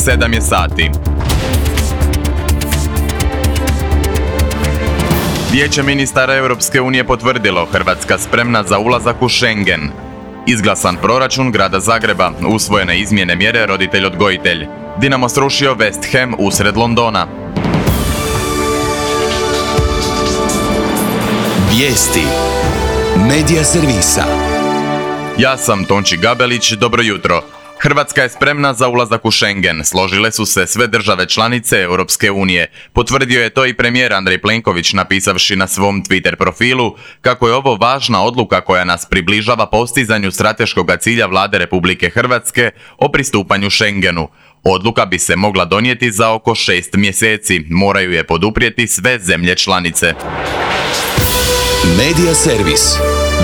7 je sati. Vijeće ministara Europske unije potvrdilo Hrvatska spremna za ulazak u Schengen. Izglasan proračun grada Zagreba, usvojene izmjene mjere roditelj-odgojitelj. Dinamo srušio West Ham usred Londona. Vijesti Medija servisa. Ja sam Tonči Gabelić, dobro jutro. Hrvatska je spremna za ulazak u Schengen, složile su se sve države članice Europske unije. Potvrdio je to i premijer Andrej Plenković napisavši na svom Twitter profilu kako je ovo važna odluka koja nas približava postizanju strateškog cilja Vlade Republike Hrvatske o pristupanju Schengenu. Odluka bi se mogla donijeti za oko 6 mjeseci, moraju je poduprijeti sve zemlje članice. Medija servis.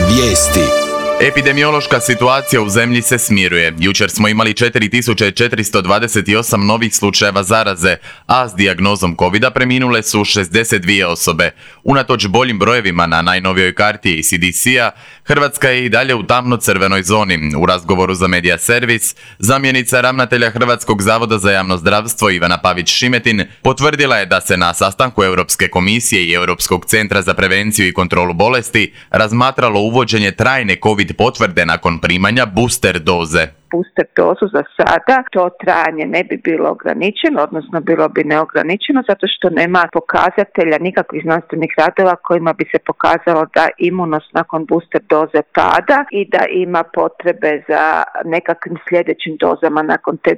Vijesti. Epidemiološka situacija u zemlji se smiruje. Jučer smo imali 4428 novih slučajeva zaraze, a s dijagnozom covida preminule su 62 osobe. Unatoč boljim brojevima na najnovijoj karti CDC-a, Hrvatska je i dalje u tamno-crvenoj zoni. U razgovoru za Medija servis, zamjenica ravnatelja Hrvatskog zavoda za javno zdravstvo Ivana Pavić-Šimetin potvrdila je da se na sastanku Europske komisije i Europskog centra za prevenciju i kontrolu bolesti razmatralo uvođenje trajne COVID potvrde nakon primanja booster doze. Booster dozu za sada, to trajanje ne bi bilo ograničeno, odnosno bilo bi neograničeno zato što nema pokazatelja, nikakvih znanstvenih radova kojima bi se pokazalo da imunost nakon booster doze pada i da ima potrebe za nekakvim sljedećim dozama nakon te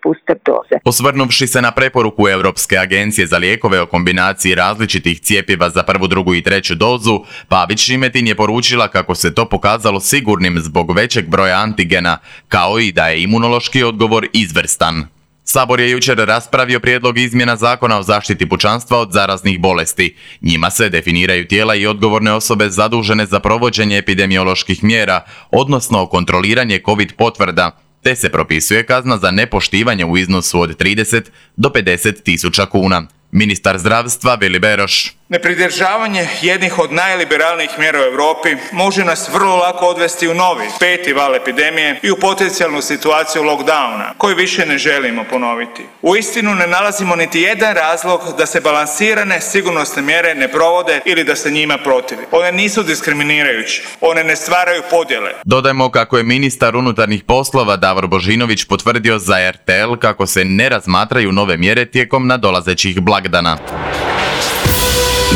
booster doze. Osvrnuvši se na preporuku Europske agencije za lijekove o kombinaciji različitih cjepiva za prvu, drugu i treću dozu, Pavić-Šimetin je poručila kako se to pokazalo sigurnim zbog većeg broja antigena, kao i da je imunološki odgovor izvrstan. Sabor je jučer raspravio prijedlog izmjena Zakona o zaštiti pučanstva od zaraznih bolesti. Njima se definiraju tijela i odgovorne osobe zadužene za provođenje epidemioloških mjera, odnosno kontroliranje COVID potvrda, te se propisuje kazna za nepoštivanje u iznosu od 30 do 50 tisuća kuna. Ministar zdravstva Vili Beroš. Nepridržavanje jednih od najliberalnijih mjera u Europi može nas vrlo lako odvesti u novi, 5. val epidemije i u potencijalnu situaciju lockdowna, koju više ne želimo ponoviti. Uistinu ne nalazimo niti jedan razlog da se balansirane sigurnosne mjere ne provode ili da se njima protivi. One nisu diskriminirajuće, one ne stvaraju podjele. Dodajmo kako je ministar unutarnjih poslova Davor Božinović potvrdio za RTL kako se ne razmatraju nove mjere tijekom nadolazećih blagdana.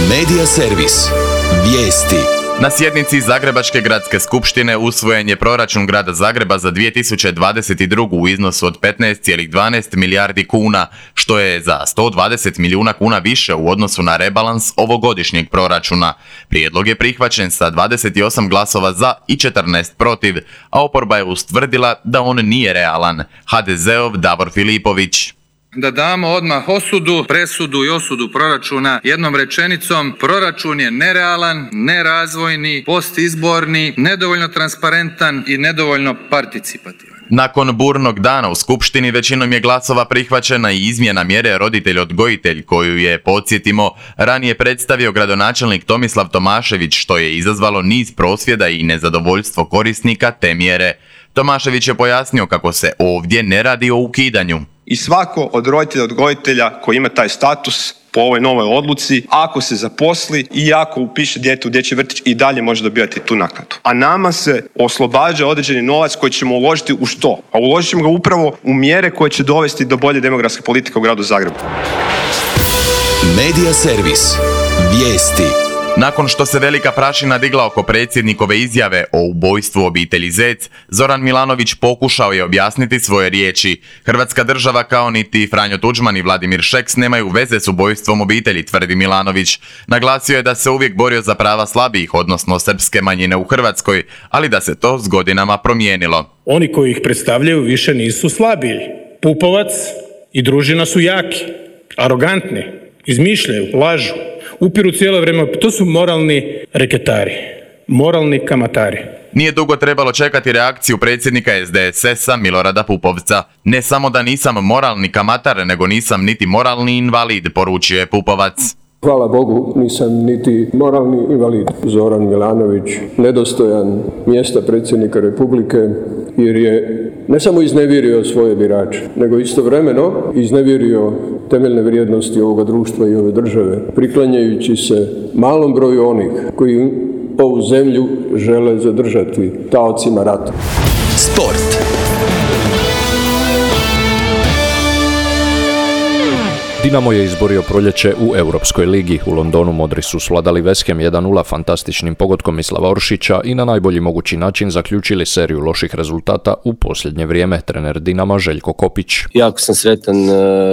Medija servis. Vijesti. Na sjednici Zagrebačke gradske skupštine usvojen je proračun grada Zagreba za 2022. u iznosu od 15,12 milijardi kuna, što je za 120 milijuna kuna više u odnosu na rebalans ovogodišnjeg proračuna. Prijedlog je prihvaćen sa 28 glasova za i 14 protiv, a oporba je ustvrdila da on nije realan. HDZ-ov Davor Filipović. Da damo odmah presudu i osudu proračuna jednom rečenicom: proračun je nerealan, nerazvojni, postizborni, nedovoljno transparentan i nedovoljno participativan. Nakon burnog dana u Skupštini većinom je glasova prihvaćena i izmjena mjere roditelj-odgojitelj koju je, podsjetimo, ranije predstavio gradonačelnik Tomislav Tomašević, što je izazvalo niz prosvjeda i nezadovoljstvo korisnika te mjere. Tomašević je pojasnio kako se ovdje ne radi o ukidanju. I svako od roditelja odgojitelja koji ima taj status po ovoj novoj odluci, ako se zaposli i ako upiše dijete u dječji vrtić, i dalje može dobivati tu naknadu. A nama se oslobađa određeni novac koji ćemo uložiti u što? A uložit ćemo ga upravo u mjere koje će dovesti do bolje demografske politike u gradu Zagrebu. Medija servis. Vijesti. Nakon što se velika prašina digla oko predsjednikove izjave o ubojstvu obitelji Zec, Zoran Milanović pokušao je objasniti svoje riječi. Hrvatska država kao niti Franjo Tuđman i Vladimir Šeks nemaju veze s ubojstvom obitelji, tvrdi Milanović. Naglasio je da se uvijek borio za prava slabijih, odnosno srpske manjine u Hrvatskoj, ali da se to s godinama promijenilo. Oni koji ih predstavljaju više nisu slabiji. Pupovac i družina su jaki, arogantni, izmišljaju, lažu, upiru cijelo vrijeme. To su moralni reketari, moralni kamatari. Nije dugo trebalo čekati reakciju predsjednika SDSS-a Milorada Pupovca. Ne samo da nisam moralni kamatar, nego nisam niti moralni invalid, poručio je Pupovac. Hvala Bogu, nisam niti moralni invalid. Zoran Milanović nedostojan mjesta predsjednika Republike jer je ne samo iznevjerio svoje birače, nego istovremeno iznevjerio temeljne vrijednosti ovoga društva i ove države, priklanjajući se malom broju onih koji ovu zemlju žele zadržati taocima rata. Sport. Dinamo je izborio proljeće u Europskoj ligi. U Londonu modri su svladali West Ham 1:0 fantastičnim pogodkom Mislava Oršića i na najbolji mogući način zaključili seriju loših rezultata u posljednje vrijeme. Trener Dinama Željko Kopić. Jako sam sretan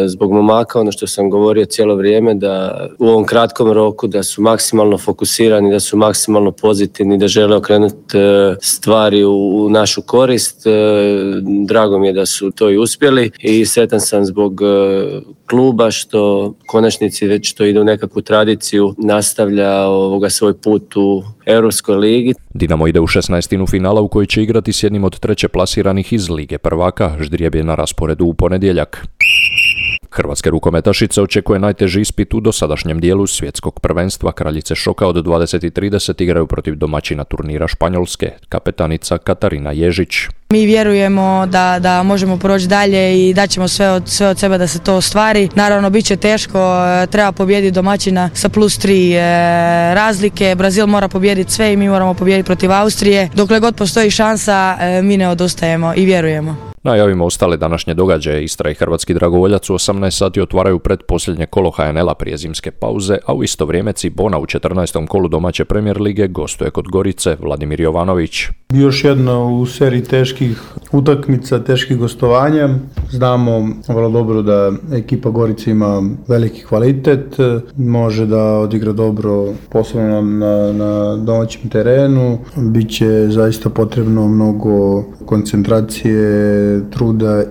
zbog momaka, ono što sam govorio cijelo vrijeme, da u ovom kratkom roku da su maksimalno fokusirani, da su maksimalno pozitivni, da žele okrenuti stvari u našu korist. Drago mi je da su to i uspjeli i sretan sam zbog kluba što u konačnici već to ide u nekakvu tradiciju, nastavlja svoj put u Europskoj ligi. Dinamo ide u 16. finala u kojoj će igrati s jednim od treće plasiranih iz Lige prvaka. Ždrijeb je na rasporedu u ponedjeljak. Hrvatske rukometašice očekuje najteži ispit u dosadašnjem dijelu svjetskog prvenstva. Kraljice šoka od 20:30 igraju protiv domaćina turnira Španjolske, kapetanica Katarina Ježić. Mi vjerujemo da možemo proći dalje i daćemo sve od sebe da se to ostvari. Naravno, bit će teško, treba pobijediti domaćina sa +3 razlike. Brazil mora pobijediti sve i mi moramo pobijediti protiv Austrije. Dokle god postoji šansa, mi ne odustajemo i vjerujemo. Najavimo ostale današnje događaje. Istra i Hrvatski dragovoljac u 18 sati otvaraju predposljednje kolo HNL-a prije zimske pauze, a u isto vrijeme Cibona u 14. kolu domaće Premier lige gostuje kod Gorice. Vladimir Jovanović. Još jedna u seriji teških utakmica, teških gostovanja. Znamo vrlo dobro da ekipa Gorice ima veliki kvalitet, može da odigra dobro posebno na domaćem terenu. Biće zaista potrebno mnogo koncentracije, truda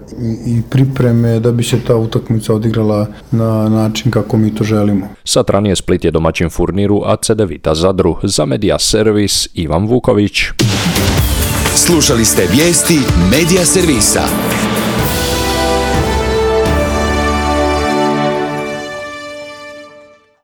i pripreme da bi se ta utakmica odigrala na način kako mi to želimo. Sat ranije Split je domaćin Furniru, a Cedevita Zadru. Za Media Servis Ivan Vuković. Slušali ste vijesti Media Servisa.